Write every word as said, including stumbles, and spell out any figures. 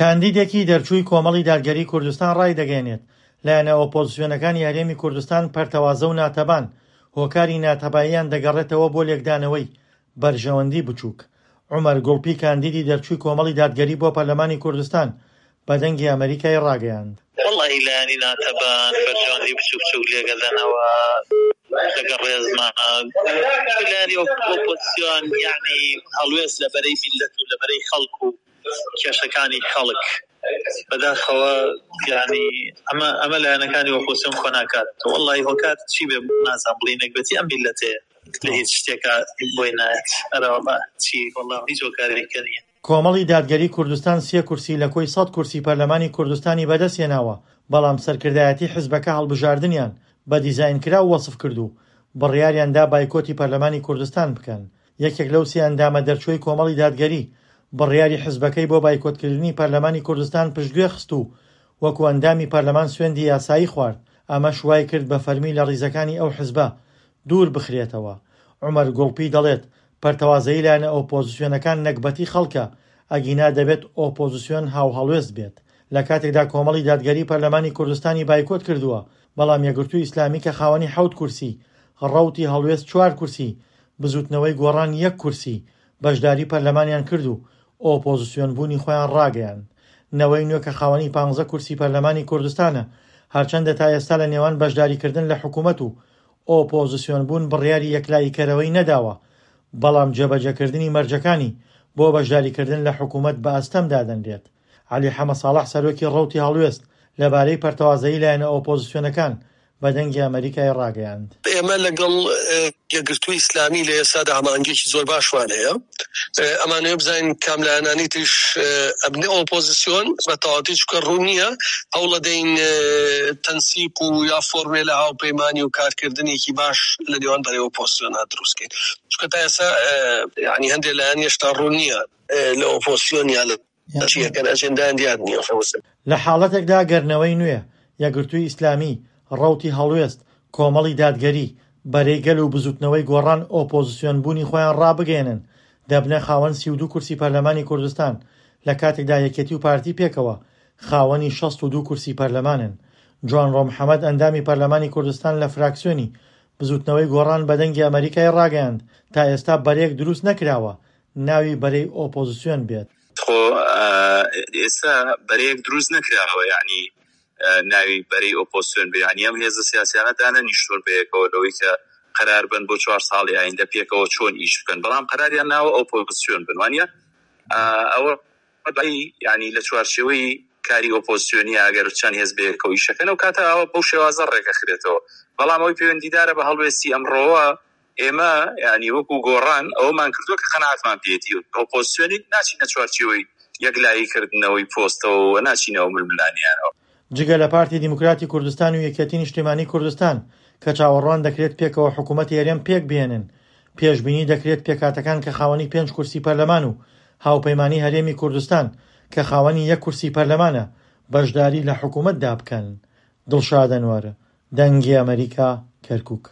کاندیدێکی دەرچووی کۆمەڵی دادگەری کوردستان ڕایدەگەیەنێت، لایەنە ئۆپۆزسیۆنەکانی هەرێمی کوردستان پەرتەوازە و ناتەبان، هۆکاری ناتەباییان دەگەڕێتەوە بۆ لێکدانەوەی بەرژەوەندی بچووک. عومەر گوڵپی کاندیدی دەرچووی کۆمەڵی دادگەری بۆ پەرلەمانی کوردستان بە دەنگی ئەمەریکای ڕاگەیاند. وەڵاهی لایەنی ناتەبان بەرژەوەندی بچوک بچوک لێگەدەنەوە لەگەڵ ڕێزما لایەنی ئۆپۆزسیۆن یەعنی هەڵوێست لە بەرەی میللەت و لە بەرەی خەڵک و کێشەکانی خەڵک بەداخەوە یەعنی ئەمە ئەمە لایەنەکانی ئۆپۆزسیۆن کۆ ناکات وەڵاهی هۆکار چی بێ نازانم بڵێی نەگبەتی ئەم میللەتەیە لە هیچ شتێکا بۆی نایەت ئەرەوەڵا چی وەڵا هیچ هۆکارێکە نییە. کۆمەڵی دادگەری کوردستان سێ کورسی لە کۆی سەد کورسی پەرلەمانی کوردستانی بەدەستهێناوە، بەڵام سەرکردایەتی حزبەکە هەڵبژاردنیان بە دیزاینکراو وەسف کرد و بڕیاریان دا بایکۆتی پەرلەمانی کوردستان بکەن. یەکێک لەو سێ ئەندامە دەرچووەی کۆمەڵی دادگەری بڕیاری حزبەکەی بۆ بایکۆتکردنی پەرلەمانی کوردستان پشتگوێ خست و وەکو ئەندامی پەرلەمان سوێندی یاسایی خوارد، ئەمەش وایکرد بە فەرمی لە ڕیزەکانی ئەو حزبە دوور بخرێتەوە. عومەر گوڵپی دەڵێت، پەرتەوازەیی لایەنە ئۆپۆزسیۆنەکان نەگبەتی خەڵکە، ئەگینا دەبێت ئۆپۆزسیۆن هاوهەڵوێست بێت. لە کاتێکدا کۆمەڵی دادگەری پەرلەمانی کوردستانی بایکۆت کردووە، بەڵام یەکگرتووی ئیسلامی کە خاوەنی حەوت کورسی، ڕەوتی هەڵوێست چوار کورسی، بزووتنەوەی گۆڕان یەک کورسی، بەشداری پەرلەمانیان کرد و ئۆپۆزسیۆن بوونی خۆیان ڕاگەیاند. نەوەی نوێ کە خاوەنی پانزە کورسی پەرلەمانی کوردستانە، هەرچەندە تا ئێستا لە نێوان بەشداریکردن لە حکومەت و ئۆپۆزسیۆن بوون بڕیاری یەکلاییکەرەوەی نەداوە، بەڵام جێبەجێکردنی مەرجەکانی بۆ بەشداریکردن لە حکومەت بە ئەستەم دادەنرێت. عەلی حەمەساڵح سەرۆکی ڕەوتی هەڵوێست لەبارەی پەرتەوازەیی لایەنە ئۆپۆزسیۆنەکان بە دەنگی ئەمەریکای ڕاگەیاند. ئێمە لەگەڵ یەکگرتووی ئیسلامی لە ئێستادا هەماهەنگییەکی زۆر باشمان هەیە، ئەمانەوێ بزانین کام لایەنانی تریش ئەبنە ئۆپۆزسیۆن بە تەواوەتی، چونکە ڕوون نییە، هەوڵەدەین تەنسیق و یا فۆرمێلە هاوپەیمانی و کارکردنێکی باش لە نێوان بەرەی ئۆپۆزسیۆنا دروست کەین، چونکە تا ئێستا یانی هەندێک لایەن هێشتا ڕوون نییە لە ئۆپۆزسیۆن یا لە چی ئەکەن، ئەجێندایان دیار نییە. لە حاڵەتێکدا گەر نەوەی نوێ، یەکگرتووی ئیسلامی، ڕەوتی هەڵوێست، کۆمەڵی دادگەری، بەرەی گەل و بزوتنەوەی گۆڕان ئۆپۆزسیۆن بوونی خۆیان ڕابگەیەنن، دەبنە خاوەن سی و دوو کورسی پەرلەمانی کوردستان، لە کاتێکدا یەکێتی و پارتی پێکەوە خاوەنی شەست و دوو کورسی پەرلەمانن. جوانڕۆ محەمەد ئەندامی پەرلەمانی کوردستان لە فراکسیۆنی بزوتنەوەی گۆڕان بە دەنگی ئەمەریکای ڕاگەیاند، تا ئێستا بەرەیەک دروست نەکراوە ناوی بەرەی ئۆپۆزسیۆن بێت. خۆ ئێستا بەرەیەک دروست نەکراوە یەعنی ناوی بەرەی ئۆپۆزسیۆن بێ، یەعنی ئەم هێزە سیاسیانە دانەنیشتوون بەیەکەوە لەوەی کە قەرار بن بۆ چوار ساڵی ئایندە پێکەوە چۆن ئیش بکەن، بەڵام قەراریان ناوە ئۆپۆزسیۆن بن، وانە ئەوە یەعنی لە چوارچێوەی کاری ئۆپۆزسیۆنی ئەگەر چەند هێز بەیەکەوە ئیشەکەن ئەو کاتە ئەوە بەو شێوازە ڕێکەخرێتەوە. بەڵام ئەوەی پەیوەندیدارە بە هەڵوێستی ئەمڕۆوە ئێمە یەعنی وەکو گۆڕان ئەوەمان کردووە کە قەناعەتمان پێیەتی، ئۆپۆزسیۆنی ناچینە چوارچێوەی یەکلایی کردنەوەی پۆستەوە و ناچینەوە ململانیانەوە. جگە لە پارتی دیموکراتی کوردستان و یەکێتی نیشتیمانی کوردستان کە چاوەڕوان دەکرێت پێکەوە حکوومەتی هەرێم پێکبهێنن، پێشبینی دەکرێت پێکهاتەکان کە خاوەنی پێنج کورسی پەرلەمان و هاوپەیمانی هەرێمی کوردستان کە خاوەنی یەک کورسی پەرلەمانە بەشداری لە حکوومەتدا بکەن. دڵشاد ئەنوەر، دەنگی ئەمەریکا، کەرکوک.